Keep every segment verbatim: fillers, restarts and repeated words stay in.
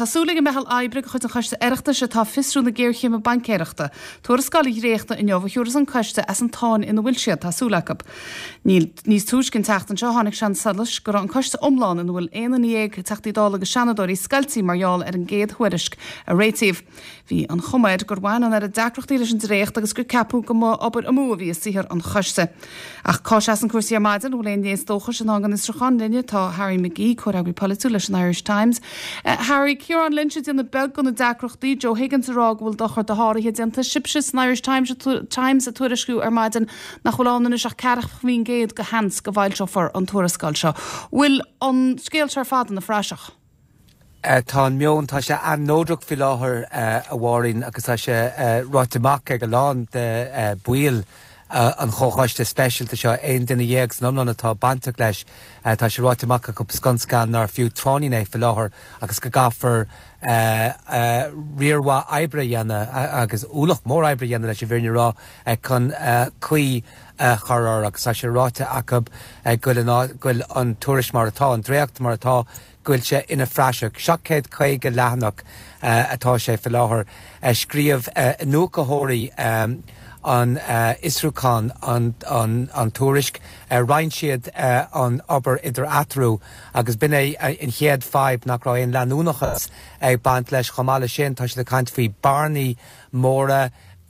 Tá súil ag an meitheal oibre de chuid an Choiste Oireachtais atá ag fiosrú na géarchéime baincéireachta. Tuarascáil a dhréachtadh inniu a thiúrfas an coiste as an tsáinn ina bhfuil siad, tá súil acu. Níos túisce an tseachtain seo tháinig sé chun solais go raibh an coiste iomlán ina bhfuil aon duine dhéag Teachtaí Dála agus Seanadóirí scoilte mar gheall ar an gcéad thuairisc a réitíodh. Bhí an chuma air gur bhain an oiread deacrachtaí leis an dréacht agus gur ceapadh go mba obair amú a bhí i saothar an choiste. Ach cá seasann cúrsaí ar maidin bhfuil aon léas dóchais i ndán don fhiosrúchán linne tá Harry McGee, comhfhreagraí polaitiúil leis an Irish Times. Uh, Harry Ciarán Lynch ag déanamh beag de na deacrachtaí, Joe Higgins ag rá go bhfuil dochar dosháraithe déanta sibhse san Irish Times Times ag tuairisciú ar maidin nach bhfuil ann anois ach ceathracha faoin gcéad de sheans go bhfoilseofar an tuarascáil seo. Bhfuil an scéal seo ar fad ina phraiseach? Uh, tá an meon tá sé an-neodrach faoi láthair uh, a Mháirín agus tá sé uh, ráite amach ag a lán de uh, bhaill uh, an chomhchoiste speisialta seo aon duine dhéag san iomlán atá bainteach leis uh, tá sé ráite amach acu scun scan nár fiú tráithnín é faoi láthair agus go gcaithfear uh, uh, riar mhaith oibre a dhéanamh agus ualach mór oibre a dhéanamh leis an bhfírinne a rá uh, chun uh, caoi uh, chur air agus tá sé ráite acu uh, go bhfuil an tuairisc mar atá an dréacht mar atá go bhfuil sé ina phraiseach seacht gcéad caoga leathanach uh, atá sé faoi láthair uh, scríobh uh, iniúchóirí um, an uh, fhiosrúchán an, an, an tuairisc uh, roinn siad uh, an obair idir eatarthu agus b'in é uh, an chéad fadhb nach raibh aon leanúnachas ag baint leis chomh maith leis sin tá siad ag caint faoi bearnaí móra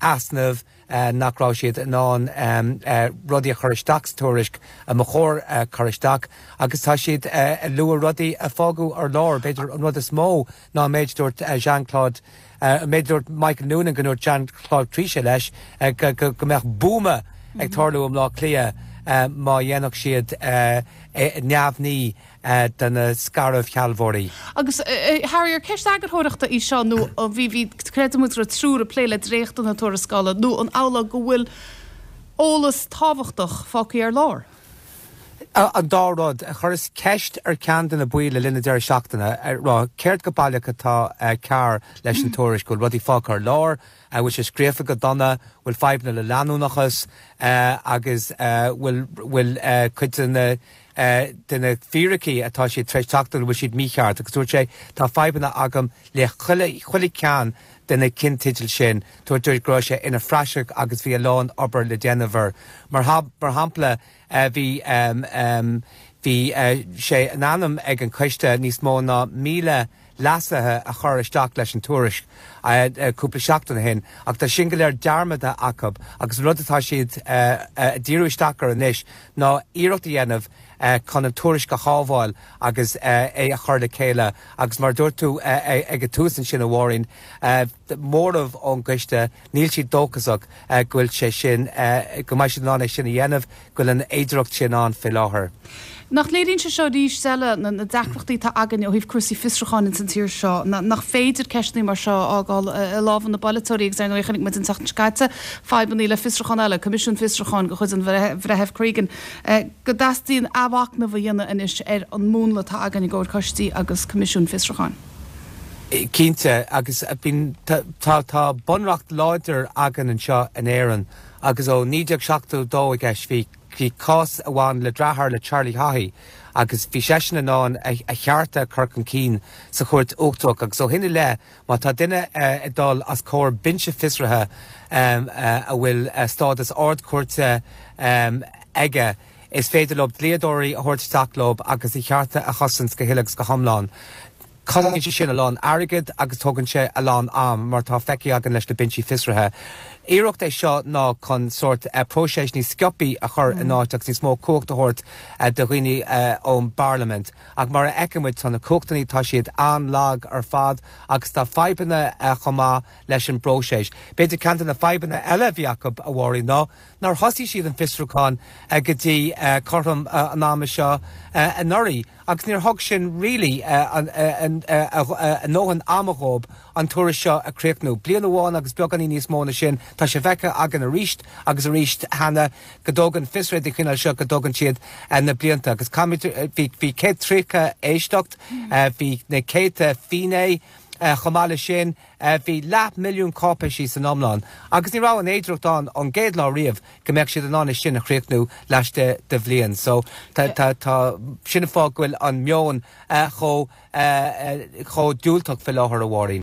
easnamh uh, nach raibh siad in ann um, uh, rudaí a chur isteach sa tuairisc a ba chóir uh, chur isteach agus tá siad uh, lua rudaí a fágadh ar lár b'fhéidir an rud is mó ná méid dúirt uh, Jean-Claude uh, méid dúirt Michael Noonan go ndúirt Jean-Claude Trichet leis uh, go, go, go mbeadh buama ag tarlú i mBleá Cliath uh, má dhéanfadh siad uh, neamhní uh, de na scairbhshealbhóirí. Agus uh, Harry ar ceist eagarthóireachta í seo nó bhí bhí creidimid raibh triúr ag plé le dréacht na tuarascála nó an amhlaidh go bhfuil eolas tábhachtach fágtha ar lár. An dá rud a chuireas ceist ar ceann de na baill le linn deireadh seachtaine ar rá céard go baileach atá cearr leis an tuairisc go rudaí fágtha ar lár, bhfuil sé scríofa go dona bhfuil fadhbanna le leanúnachas agus bhfuil bhfuil cuid de na de na fíricí atá siad tar éis teacht bhfuil siad mícheart agus dúirt sé tá fadhbanna agam le chuile cheann de na ceannteidil sin dúirt go raibh sé ina phraiseach agus bhí a lán obair le déanamh air. Mar mar shampla bhí um, um, bhí uh, sé in ainm ag an coiste níos mó ná míle leasuithe a chur isteach leis an tuairisc cúpla seachtain ó shin ach tá sin go léir dearmadta acu agus rud atá siad díriú isteach air anois ná iarracht a dhéanamh chun an tuairisc a shábháil agus é a chur le chéile agus mar dúirt tú ag an tús ansin a Mháirín móramh ón gcoiste níl siad dóchasach go bhfuil sé sin go mbeidh siad in ann é sin a dhéanamh go bhfuil an fhéidearthacht sin ann faoi láthair. Nach léiríonn sé seo arís eile na na deacrachtaí atá againn ó thaobh cúrsaí fiosrúcháin in san tír seo, nach féidir ceisteanna mar seo a fhágáil i lámha na bpolaiteoirí agus ar ndóigh chonaic muid an tseachtain seo caite fadhbanna le fiosrúchán eile, Coimisiún Fiosrúcháin de chuid an Bhreithimh Cregan, go dteastaíonn athmhachnamh a dhéanamh anois ar an múnla atá againn i gcomhair coistí agus Coimisiún Fiosrúcháin. Cinnte agus bíonn tá tá bunreacht láidir againn anseo in Éirinn agus ó naoi déag seachtó dó i gceist bhí bhí cás amháin le deartháir le Charlie Haughey agus bhí seisean in ann a chearta a chur chun cinn sa chúirt uachtarach agus ó shin i leith má tá duine ag dul os comhair binse fiosraithe a bhfuil stádas ardchúirte aige is féidir leo dlíodóirí a thabhairt isteach leo agus a chearta a chosaint go huile agus go hiomlán. Cosnaíonn sé sin a lán airgid agus tógann sé a lán am mar tá feicthe againn leis na binsí fiosraithe. Iarracht é seo ná chun sórt próiseas níos sciobtha a chur in áit agus níos mó cumhacht a thabhairt do dhaoine ón bParlaimint. Ach mar a fheicimid tá na cumhachtanna tá siad an-lag ar fad agus tá fadhbanna chomh maith leis an bpróiseas. B'fhéidir ceann de na fadhbanna eile a bhí acu a Mháirín ná nár thosaigh siad an fiosrúchán go dtí cothrom an ama seo anuraidh agus níor thug sin really a ndóthain ama dhóibh an tuairisc seo a chríochnú. Bliain amháin agus beagáinín níos mó ná sin tá sé feicthe againn arís agus arís cheana go dtógann fiosruithe den chineál seo go dtógann siad na blianta agus bhí bhí céad tríocha éisteacht, bhí na céadta finné Chomh maith leis sin, bhí leath milliún cáipéisí san iomlán agus ní raibh an fhéidearthacht ann ón gcéad lá riamh go mbeadh siad in ann é sin a chríochnú laistigh de bhliain. So tá tá tá sin an fáth go bhfuil an meon chomh chomh diúltach faoi láthair, a Mháirín.